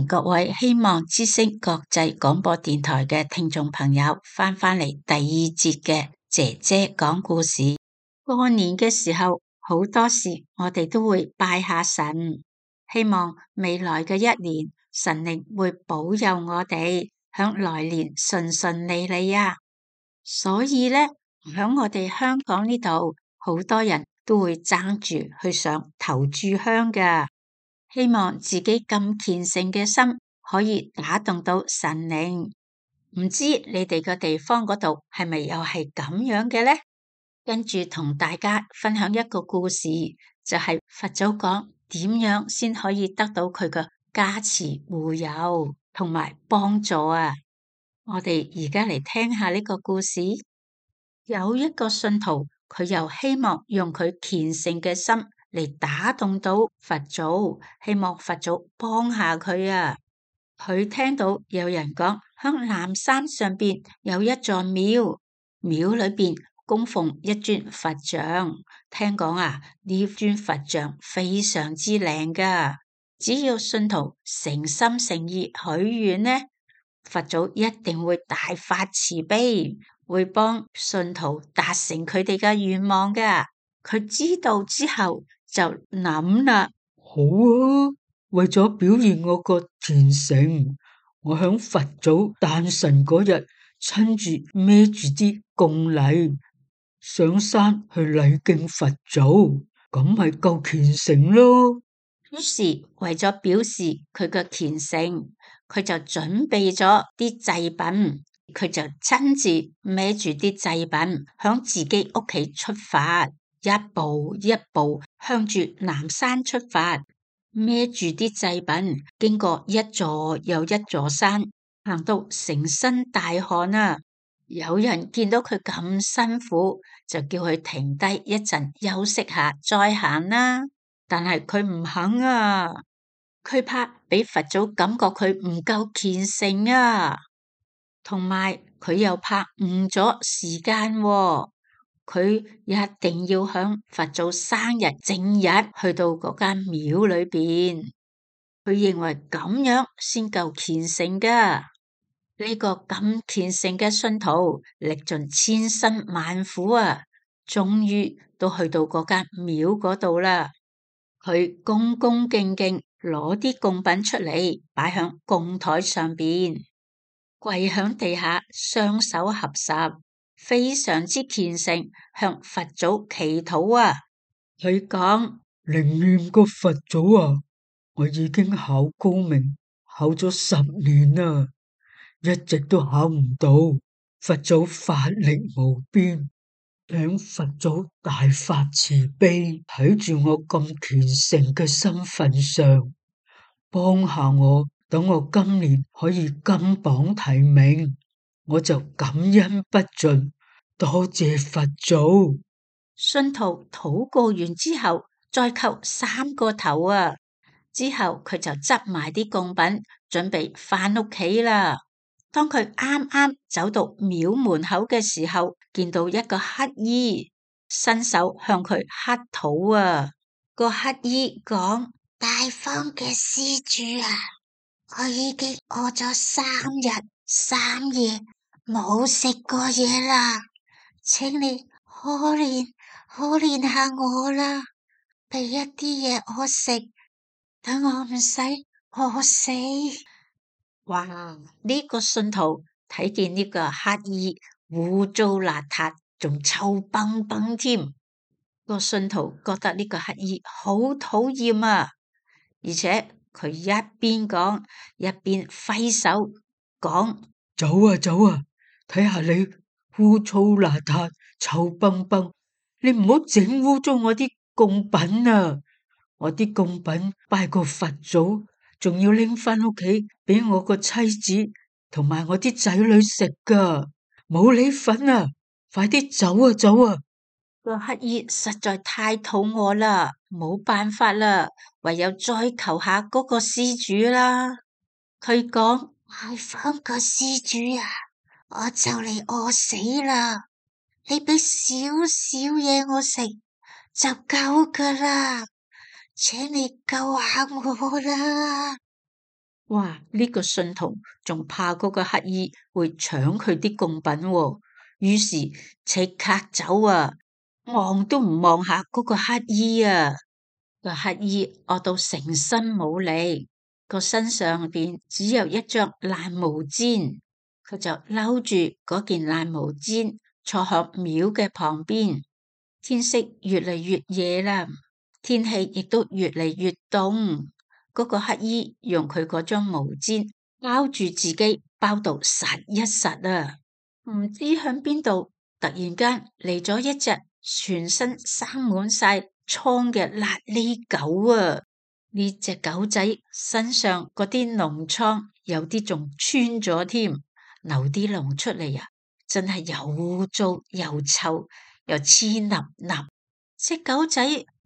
各位希望之聲國際廣播電台嘅聽眾朋友返嚟第二節嘅姐姐講故事。過年嘅時候，好多時我哋都會拜下神，希望未來嘅一年神靈會保佑我哋響來年順順利利啊！所以呢，響我哋香港呢度，好多人都會爭住去上頭炷香㗎。希望自己咁虔誠嘅心可以打動到神靈，唔知你哋個地方嗰度係咪又係咁樣嘅呢？跟住同大家分享一個故事，就係佛祖講點樣先可以得到佢嘅加持護佑同埋幫助啊！我哋而家嚟聽下呢個故事。有一個信徒，佢又希望用佢虔誠嘅心嚟打動到佛祖，希望佛祖幫下佢啊！佢聽到有人講，響南山上邊有一座廟，廟裏邊供奉一尊佛像。聽講啊，呢尊佛像非常之靚噶，只要信徒誠心誠意許願呢，佛祖一定會大發慈悲，會幫信徒達成佢哋嘅願望噶。佢知道之後就諗啦，好啊，為咗表現我個虔誠，我響佛祖誕辰嗰日親自孭住啲供禮上山去禮敬佛祖，咁咪夠虔誠咯。於是為咗表示佢嘅虔誠，佢就準備咗啲祭品，佢就親自孭住啲祭品響自己屋企出發，一步一步向住南山出發，孭住啲祭品，經過一座又一座山，行到成身大汗啊！有人見到佢咁辛苦，就叫佢停低一陣休息下再行啦。但係佢唔肯啊，佢怕俾佛祖感覺佢唔夠虔誠啊，同埋佢又怕誤咗時間喎。佢一定要響佛祖生日正日去到嗰間廟裏邊，佢認為咁樣先夠虔誠噶。呢個咁虔誠嘅信徒歷盡千辛萬苦啊，終於都去到嗰間廟嗰度啦。佢恭恭敬敬攞啲供品出嚟，擺響供台上邊，跪響地下，雙手合十，非常之虔誠，向佛祖祈禱啊！佢講：靈驗個佛祖啊，我已經考高明，考咗10年啦，一直都考唔到。佛祖法力無邊，請佛祖大發慈悲，睇住我咁虔誠嘅身份上，幫下我，等我今年可以金榜題名，我就感恩不盡，多謝佛祖。信徒禱告完之後，再叩3個頭啊！之後佢就執埋啲供品，準備返屋企啦。當佢啱啱走到廟門口嘅時候，見到一個乞兒伸手向佢乞討啊！個乞兒講：大方嘅施主啊，我已經餓咗3日3夜冇食過嘢啦，請你可憐下我啦，俾一啲嘢我食，等我唔使餓死。哇！呢個信徒睇見呢個乞兒污糟邋遢，仲臭崩崩添。個信徒覺得呢個乞兒好討厭啊，而且佢一邊講一邊揮手講：走啊走啊，睇下你污糟邋遢、臭崩崩，你唔好整污糟我啲供品啊！我啲供品拜個佛祖，仲要拎返屋企俾我個妻子同埋我啲仔女食噶，冇你份啊！快啲走啊走啊！個乞兒實在太肚餓啦，冇辦法啦，唯有再求下嗰個施主啦。佢講：大方個施主啊，我就嚟餓死啦，你俾少少嘢我食就夠噶啦，請你救下我啦！哇！呢個信徒仲怕嗰個乞兒會搶佢啲貢品喎，於是即刻走啊，望都唔望下嗰個乞兒啊！個乞兒餓到成身冇力，個身上邊只有一張爛毛氈，佢就摟住嗰件爛毛氈坐響廟嘅旁邊。天色越嚟越夜啦，天氣亦都越嚟越凍。嗰個乞兒用佢嗰張毛氈包住自己，包到實一實啊！唔知響邊度突然間嚟咗一隻全身生滿晒瘡嘅瘌痢狗啊！呢隻狗仔身上嗰啲膿瘡有啲仲穿咗添，流啲膿出嚟啊！真係又污糟又臭又黐笠笠。隻狗仔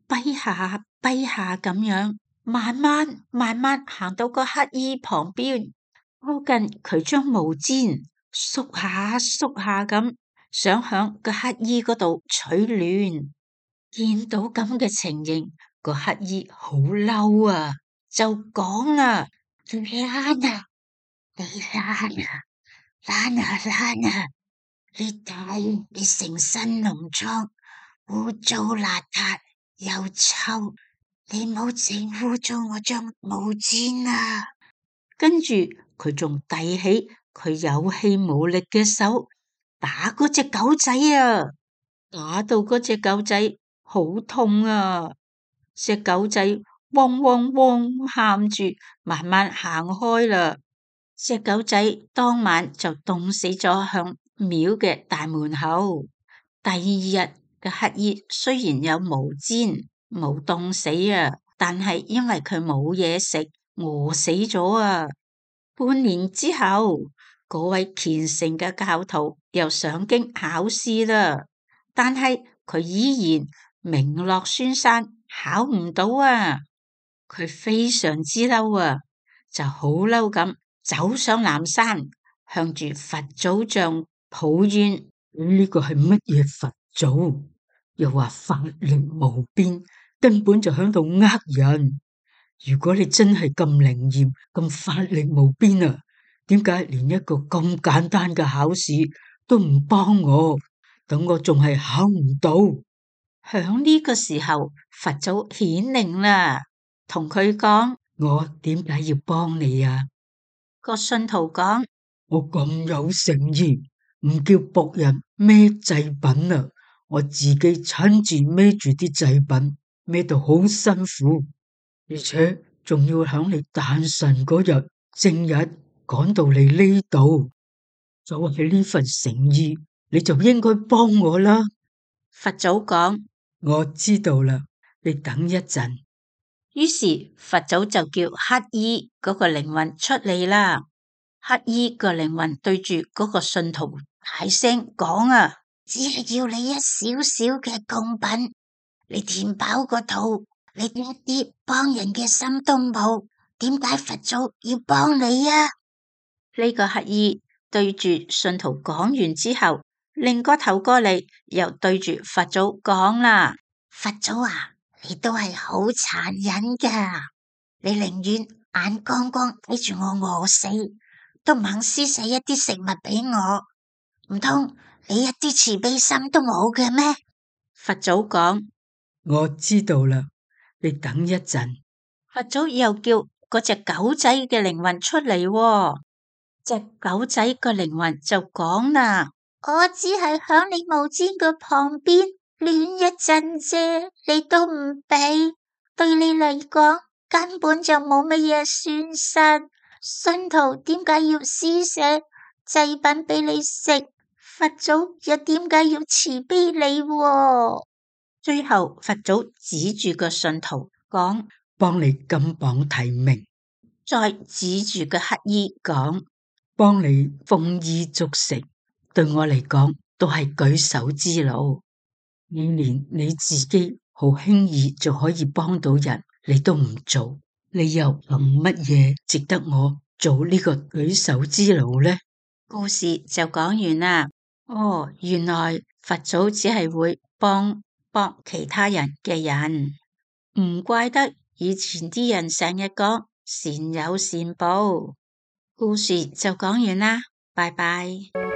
跛下跛下咁樣，慢慢行到個乞兒旁邊，靠近佢張毛氈，縮下咁，想響個乞兒嗰度取暖。見到咁嘅情形，個乞兒好嬲啊，就講啦：你懶啊，你懶啊，懶啊！你睇你成身膿瘡，污糟邋遢又臭，你冇整污糟我張毛氈啊！跟住佢仲遞起佢有氣無力嘅手打嗰隻狗仔啊！打到嗰隻狗仔好痛啊！隻狗仔汪汪汪喊住，慢慢行開啦。隻狗仔當晚就凍死咗響廟嘅大門口。第二日嘅乞兒雖然有毛氈，冇凍死啊，但係因為佢冇嘢食，餓死咗啊。半年之後，嗰位虔誠嘅教徒又上京考試啦，但係佢依然名落孫山，考唔到啊。佢非常之嬲啊，就好嬲咁走上南山，向住佛祖像抱怨：呢個係乜嘢佛祖？又話法力無邊，根本就響度呃人。如果你真係咁靈驗、咁法力無邊啊，點解連一個咁簡單嘅考試都唔幫我？等我仲係考唔到。響呢個時候，佛祖顯靈啦，同佢講：我點解要幫你啊？個信徒講：我咁有誠意，唔叫僕人孭祭品啊，我自己親自孭住啲祭品，孭到好辛苦，而且仲要響你誕辰嗰日正日趕到你呢度，就係呢份誠意，你就應該幫我啦。佛祖講：我知道啦，你等一陣。於是佛祖就叫乞兒嗰個靈魂出嚟啦。乞兒個靈魂對住嗰個信徒大聲講啊，只係要你一少少嘅貢品，你填飽個肚，你一啲幫人嘅心都冇，點解佛祖要幫你啊？呢個乞兒對住信徒講完之後，擰個頭過嚟，又對住佛祖講啦：佛祖啊，你都係好殘忍噶，你寧願眼光光睇住我餓死，都唔肯施捨一啲食物俾我，唔通你一啲慈悲心都冇嘅咩？佛祖講：我知道啦，你等一陣。佛祖又叫嗰隻狗仔嘅靈魂出嚟喎，隻狗仔個靈魂就講啦：我只係響你毛氈嘅旁邊暖一陣啫，你都唔俾，對你嚟講根本就冇乜嘢損失。信徒點解要施捨祭品俾你食？佛祖又點解要慈悲你喎？最後佛祖指住個信徒講：幫你金榜題名。再指住個乞兒講：幫你豐衣足食。對我嚟講都係舉手之勞。你連你自己好輕易就可以幫到人，你都唔做，你又憑乜嘢值得我做呢個舉手之勞呢？故事就講完啦。哦，原來佛祖只係會幫其他人嘅人，唔怪得以前啲人成日講善有善報。故事就講完啦，拜拜。